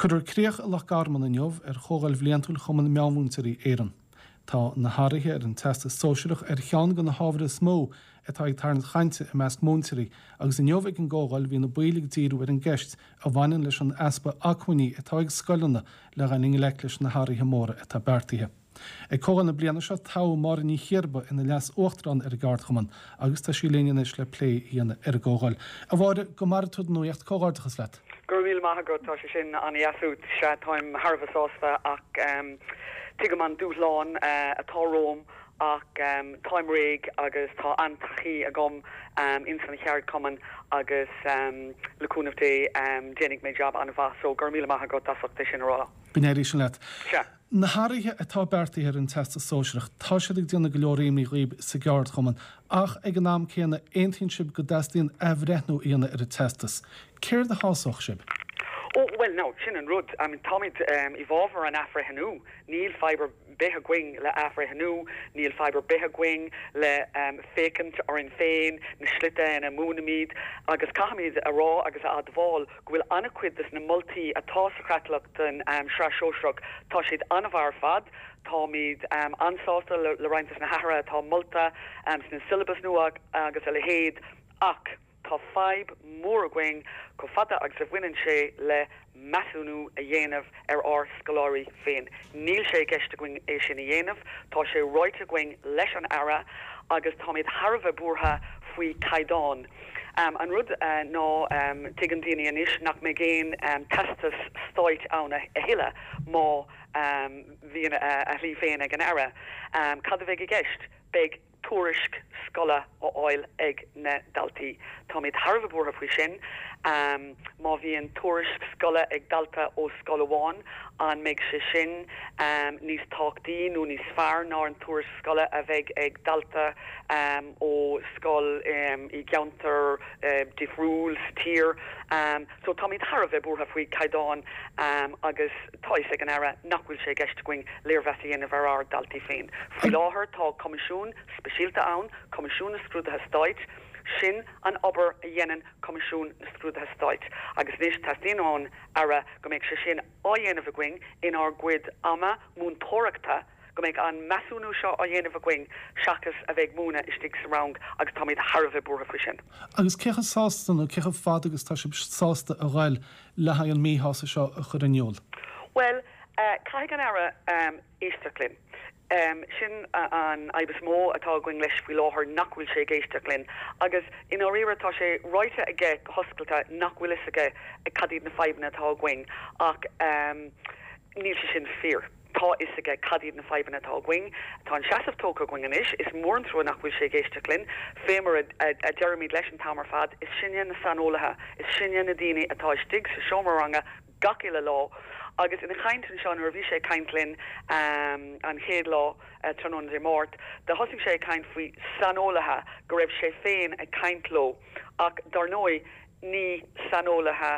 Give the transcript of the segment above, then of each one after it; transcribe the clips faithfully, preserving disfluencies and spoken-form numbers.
Cuirfear críoch i Loch Garman inniu ar Chomhdháil Bhliantúil Chumann Meánmhúinteoirí Éireann. Tá na hathruithe ar an Teastas Sóisearach ar cheann de na hábhair is mó atá ag tarraingt chainte i measc múinteoirí, agus inniu ag an gcomhdháil bhí na baill ag díriú ar an gceist a bhaineann leis an easpa acmhainní atá ag scoileanna le dhul i ngleic leis na hathruithe móra atá beartaithe. Ag comhdháil na bliana seo toghadh Máire Ní Chiarba ina leas-uachtarán ar an gceardchumann agus tá sí linn anois le plé a dhéanamh ar an gcomhdháil. A Mháire, go maire tú don nuacht comhghairdeachas leat. Go raibh míle maith agat tá sé sin an-deas uait sea táim thar a bheith sásta ach um, tuigim an dúshlán uh, atá romham ach um, táim réidh agus tá an-taithí agam um, ins an cheardchumann agus um, le cúnamh Dé um, déanfaidh mé jab an-mhaith so go raibh míle maith agat as ucht é sin a rá. Go n-éirí sin leat. Sea. Na hathruithe atá beartaithe ar an Teastas Sóisearach, tá siad ag déanamh go leor imní dhaoibh sa gceardchumann, ach ag an am céanna aontaíonn sibh go dteastaíonn athbhreithniú a dhéanamh ar an teastas. Céard a shásódh sibh? Oh, well no, sin an rud I mean, táimid um, i bhfabhar an athbhreithniú, níl fadhb ar bith againn le athbhreithniú, níl fadhb ar bith againn le um, féachaint orainn féin na slite ina múinimid agus caithfimid a rá agus a admháil go bhfuil an-chuid des na moltaí atá sa chreatlach den um, sraith sóisearach tá siad an-mhaith ar fad, Táimid um, an-sásta le, le roinnt na hathruithe atá molta um, sna syllabus nua agus a leithéid ach tá fadhb mór againn chomh fada agus a bhaineann sé le measúnú a dhéanamh ar ár scoláirí féin. Níl sé i gceist againn é sin a dhéanamh, tá sé ráite againn leis an Aire agus táimid thar a bheith buartha faoi caighdeán. Um, an rud uh, ná um, tuigeann daoine anois nach mbeidh aon um, teastas stáit ann a thuilleadh má um, bhíonn a, a shlí féin ag an Aire. Um, cad a bheidh i gceist? Beidh tuairisc scoile á fháil ag na daltaí. Táimid thar a bheith buartha faoi sin. Um, má bhíonn tuairisc scoile ag dalta ó scoil amháin an mbeidh sé sin um, níos tábhachtaí nó níos fearr ná an tuairisc scoile a bheidh ag dalta um, ó scoil um, i gceantar uh, difriúil sa tír. Um, so táimid thar a bheith buartha faoi caighdeán um, agus tá a fhios ag an Aire nach bhfuil sé i gceist againn léirmheas a dhéanamh ar ár daltaí féin. Faoi láthair tá coimisiún speisialta ann, Coimisiún na Scrúduithe Stáit, sin an obair a dhéanann Coimisiún na Scrúduithe Stáit. Agus anois teastaíonn ón Aire go mbeidh sé sin á dhéanamh againn inár gcuid ama múinteoireachta go mbeidh an measúnú seo á dhéanamh againn seachas a bheith ag múineadh istigh sa rang agus táimid thar a bheith buartha faoi sin. Agus cé chomh sásta nó cé chomh fada agus tá sibh sásta a ghoil le haghaidh an míshásamh seo a chur in iúl. Well, uh, caithfidh an Aire um, éisteacht linn. Um, sin an fhadhb is mó atá againn leis faoi láthair nach bhfuil sé ag éisteacht linn. Agus i ndáiríre tá sé ráite aige go hoscailte nach bhfuil fhios aige cad iad na fadhbanna atá againn ach um, níl sé sin fíor. Tá fhios aige cad iad na fadhbanna atá againn, Tá an seasamh tógtha againn anois is mór an trua nach bhfuil sé ag éisteacht linn, fé mar a, a, a deirimid leis an t-am ar fad, is sinne na saineolaithe, is sinne na daoine atá istigh sa seomra ranga gach uile lá agus ina chaint anseo nuair a bhí sé ag caint linn um, an chéad lá uh, tráthnóna Dé Máirt, do thosaigh sé ag caint faoi saineolaithe go raibh sé féin ag caint leo ach dar ndóigh ní saineolaithe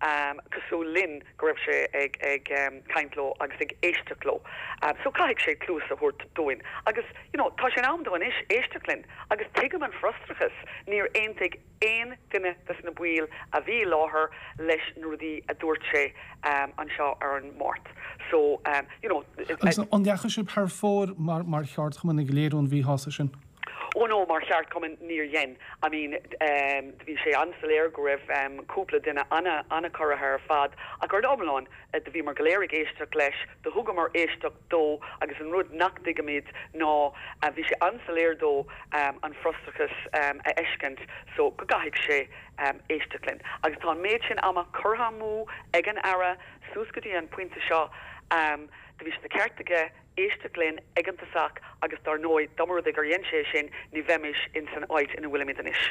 um, cosúil linn go raibh sé ag, ag um, caint leo agus ag éisteacht leo. Um, so caithfidh sé cluas a thabhairt dúinn. Agus you know, tá sé in am dó anois éisteacht linn, agus tuigim an frustrachas níor aontaigh aon duine des na baill a bhí i láthair leis na rudaí a dúirt sé um, anseo ar an Máirt. So um, you know, Agus an ndeachaigh sibh thar fóir mar mar cheardchumann ag léiriú an mhíshásamh sin? Oh no mar cheardchumann níor dhein. I mean um, bhí sé an-soiléir go raibh um, cúpla duine ana an-chorraithe ar fad ach ar iomlán uh, do bhíomar go léir ag éisteacht leis, do thugamar éisteacht dó agus an rud nach dtuigimid ná uh, bhí sé an-soiléir dó um, an frustrachas um, a fheiscint so go gcaithfidh sé um, éisteacht linn. Agus tá an méid sin ama curtha amú ag an Aire suas go dtí an pointe seo um, do bhí sé de cheart aige éisteacht linn ag an tosach agus dar ndóigh dá mba rud é gur dhein sé sin ní bheimis in san áit ina bhfuilimid anois.